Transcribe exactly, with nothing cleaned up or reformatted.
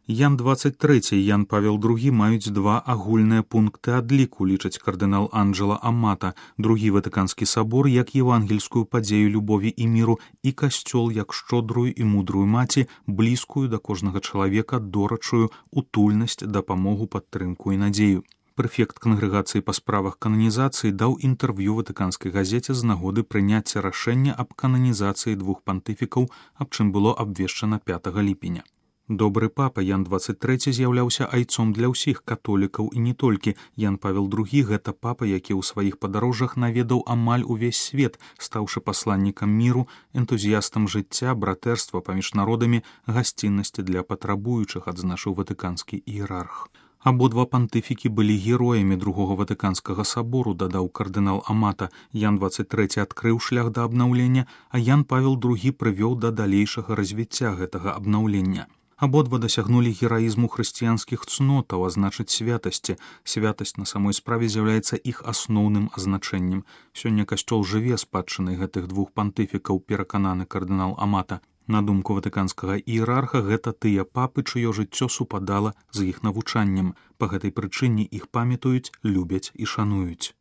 Ян двадцать трэці і Ян Павел другі маюць два агульныя пункты адліку, лічыць кардынал Анджела Амата, другі Ватыканскі сабор як евангельскую падзею любові і міру і касцёл як шчодрую і мудрую маці, блізкую да кожнага чалавека, дорачую утульнасць, дапамогу, падтрымку і надзею. Прэфект кангрэгацыі па справах кананізацыі даў інтэрв'ю ватыканскай газеце з нагоды прыняцця рашэння аб кананізацыі двух пантыфікаў, аб чым было абвешчана пятага ліпеня. Добры папа Ян двадцать трэці з'яўляўся айцом для ўсіх католікаў і не толькі. Ян Павел другі гэта папа, які ў сваіх падарожжах наведаў амаль увесь свет, стаўшы пасланнікам міру, энтузіястам жыцця, братэрства паміж народамі, гасціннасці для патрабуючых, адзначыў ватыканскі іерарх. Абодва пантыфікі былі героямі другога Ватыканскага сабору, дадаў кардынал Амата. Ян двадцать трэці адкрыў шлях да абнаўлення, а Ян Павел другі прывёў да далейшага развіцця гэтага абнаўлення. Абодва дасягнулі гераізму хрысціянскіх цнотаў, а значыць святасці. Святасць на самой справе з'яўляецца іх асноўным азначэннем. Сёння касцёл жыве спадчынай гэтых двух пантыфікаў, перакананы кардынал Амата. На думку ватыканскага іерарха, гэта тыя папы, чыё жыццё супадала з іх навучаннем. Па гэтай прычыне іх памятаюць, любяць і шануюць.